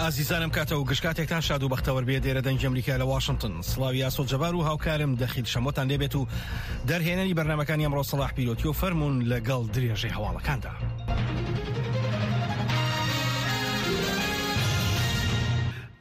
ئازیزانم کاتە و گشت کاتێکتان شاد و بەختەوەر بێ دێرە دەنگی ئەمریکا لە واشنتن سڵاوی ئاسۆ جەبار و هاوکارم دەخیل شەمۆتان لێبێت و دەرهێنەری بەرنمەکانی ئەمڕۆ سەڵاح پیرۆتی و فەرمونون لەگەڵ درێژەی هەواڵەکاندا.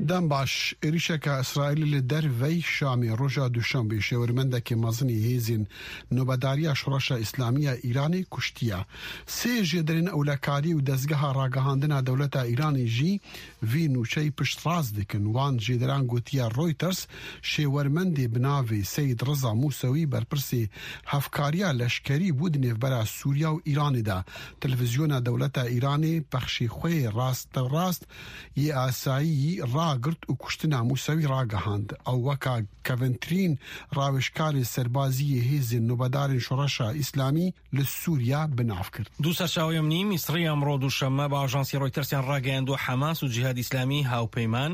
دەم باش، êrîşeke Îsraîlê li dervey Şamê roja Duşanbê şêwirmendekê mezinê hêzên nobedariya Şoreşa Îslamî ya Îranê kuştiye. Sê jêderên ewlekarî û dezgeha ragihandina dewleta Îranê jî vî nûçeyî piştrast dikin. Wan jêderan gotiye Reuters şêwermendê bi navê Seyîd Riza Mûsewî berpirsê hevkariya leşkerî bû di nêvbera Sûriya û Îranê de. Televîzyona dewleta Îranê pexşê xwe yê rasterast yê asayî ragirt û kuştina Mûsewî ragihand. Ew weka kevintirîn rawêjkarê serbazî yê hêzên nobedarên Şoreşa Îslamî li Sûriya bi nav kir. دوو سەرچاوەی ئەمنیی میسڕی ئەمڕۆ دووشەممە بە ئاژانسی ڕۆیتەرسیان ڕاگەیاندووە، حەماس و جیهاد ئیسلامی هاوپەیمان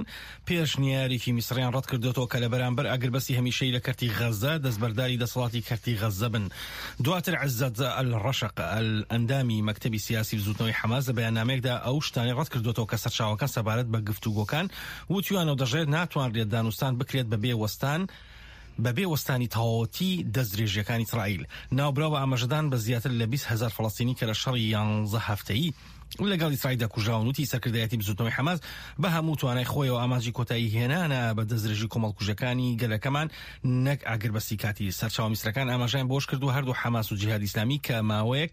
پێشنیارێکی میسڕیان ڕەتکردۆتەوە کە لە بەرامبەر ئاگربەستی هەمیشەیی لە کەرتی غەززە دەستبەرداری دەسەڵاتی کەرتی غەززە بن. دواتر عزەت ئەلڕەشق ئەندامی مەکتەبی سیاسی بزوتنەوەی حەماس لە بەیاننامەیەکدا ئەو شتانەی ڕەتکردۆتەوە کە سەرچاوەکان سەبارەت بە گفتوگۆکان وتویانە و دەشڵێت ناتوانرێت دانوستان بکرێت بەبێ وەستان بەبێ وەستانی تەواوەتی دەستدرێژییەکانی ئیسرائیل. ناوبراو بە ئاماژەدان بە زیاتر لە 20 هەزار فەڵەستینی کە لە شەڕی یانزە هەفتەیی لەگەڵ ئیسرائیلدا کوژراون وتی سەرکردایەتی بزوتنەوەی حەماس بە هەموو توانای خۆیەوە ئامانجی کۆتایی هێنانە بە دەستدرێژی کۆمەڵکوژەکانی گەلەکەمان نەک ئاگربەستی کاتی. سەرچاوە میسرەکان ئاماژەیان بەوەشکردووە هەردوو حەماس و جیهادی ئیسلامی کە ماوەیەک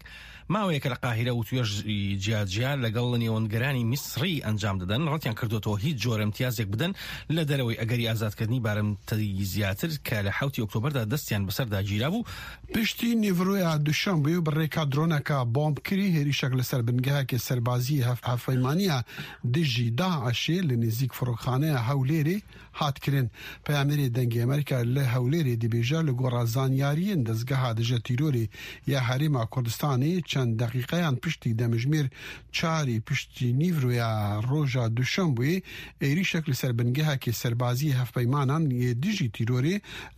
ماوەیەکە لە قاهیرە وتوێژی جیاجیا لەگەڵ نێوەندگەرانی میسڕی ئەنجام دەدەن، ڕەتیان کردووەتەوە هیچ جۆرە ئیمتیازێک بدەن لە دەرەوەی ئەگەری ئازادکردنی بارمتەی زیاتر کە لە حەوتی ئۆکتۆبەردا دەستیان بەسەردا گیرابوو. پشتی نیڤرۆیا دوشەنبێ و بە ڕێکا درۆنەکە بۆمبکری هێریشەک لەسەر بنگەهەکێ سەربازیی هەڤپەیمانییا دژی داعشێ لە نزیک فڕۆکخانەیا هەولێرێ هات کرن. پەیامنێرێ دەنگێ ئەمریکا لە هەولێرێ دبێژە لە گۆڕا زانیاریێن دەزگەها دژە تیرۆرێ یا هەرێما کوردستانێ چەند دەقیقەیان پشتی دەمژمێر چاری پشتی نیڤرۆیا ڕۆژا دوشەنبوێ êrîşek li ser bingehekê serbaziyê hevpeymanan yê dijî tîrorê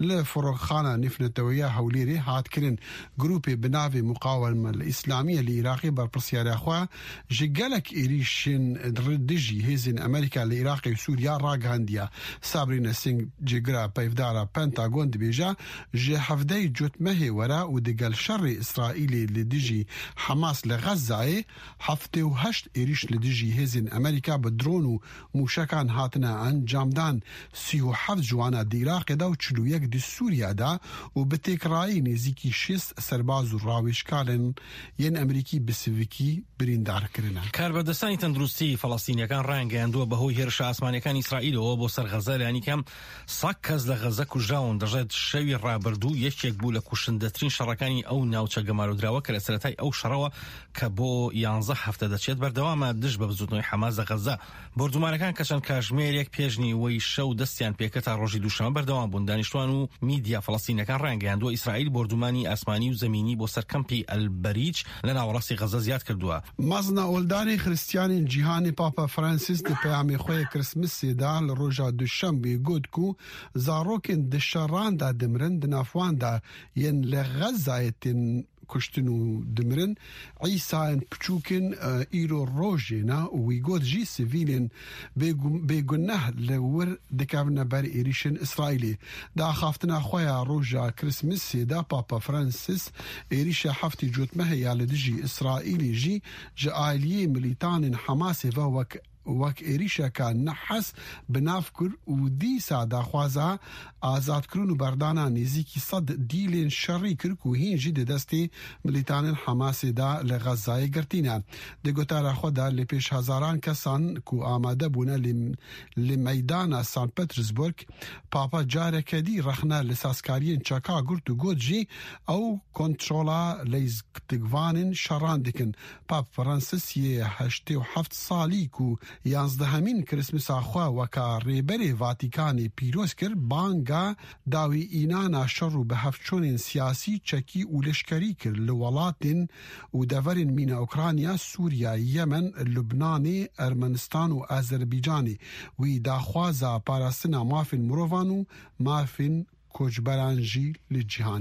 li Firokxana Nêvneteweyiya Hewlêrê hat kirin. Grûpê bi navê Muqawema Îslamiye li Iraqê berpirsyariya xwe ji gelek êrîşên dijî hêzên Amerîka li Iraqê û Sûriya ragihandiye. Sabrina Singh cêgira peyvdara Pentagon dibêje ji hevdeyê cotmehê were û digel şerê Îsraîlê li dijî Hemas li Xezzayê 78 êrîş li dijî hêzên Amerîka bi dron û mûşekan hatine encamdan, 37 ji wana di Iraqê de û 41 di Sûriya de û bi têkrayî nêzîkî 60 serbaz û rawêjkarên yên Amerîkî bi sivikî birîndar kirine. کاربەدەستانی تەندروستی فەڵەستینیەکان ڕایانگەیاندووە بەهۆی هێرشە ئاسمانیەکانی ئیسرائیلەوە بۆ سەر غەزە لانیکەم 100 کەس لە غەزە کوژراون. دەشڵێت شەوی ڕابردوو یەکێک بوو لە کوشندەترین شەڕەکانی ئەو ناوچە گەمارۆدراوە کە لە سەرەتای ئەو شەڕەوە کە بۆ یانزە هەفتە دەچێت بەردەوامە دژ بە بزوتنەوەی حەماس لە غەزە. بۆردومانەکان کە چەند کاژمێرێک پێش نیوەی شەو دەستیان پێکرد تا ڕۆژی دووشەممە بەردەوام بوون. دانیشتوان و میدیا فەڵەستینیەکان ڕایانگەیاندووە ئیسرائیل بۆردومانی ئاسمانی و زەمینی بۆ سەر کەمپی ئەلبەریج لە ناوەڕاستی غەزە زیاد کردووە. مەزنە ئۆلدارê Xiristiyanên cîhanê Papa Francis di peyamê xwe yê Christmasê de li roja Duşembê got ku zarokên di şeran de dimirin di nav wan de yên li Xezzayê tên kuştin û dimirin Îsayên piçûkên îro rojê ne û wî got jî sivîlên bêguneh li wir dikevine ber êrîşên Îsraîlê. Di axaftina xwe ya roja Christmasê de Papa Francis êrîşa heftê cotmehê ya li dijî Îsraîlê jî ji aliyê milîtanên Hemasê ve wek wek êrîşeke nehez bi nav kir û dîsa daxwaza azadkirin û berdana nêzîkî sed dîlên şerî kir ku hîn jî di destê milîtanên Hemasê de li Xezzayê girtîne. Di gotara xwe de li pêş hezaran kesan ku amade bûne li meydana St. Petersburg Papa careke dî rexne li sazkariyên çeka girt û got jî ew kontrola leyztikvanên şeran dikin. Pap Francis yê 87 salî ku yanzdehemîn Christmasa xwe weka rêberê Vatîkanê pîroz kir banga dawî înana şer û bihevçûnên siyasî çekî û leşkerî kir li welatên û deverên mîna Ukrayna, Sûriya, Yemen, Lubnanê, Ermenistan û Azerbaycanê wî daxwaza parastina mafên mirovan û mafên koçberan jî li cîhanê.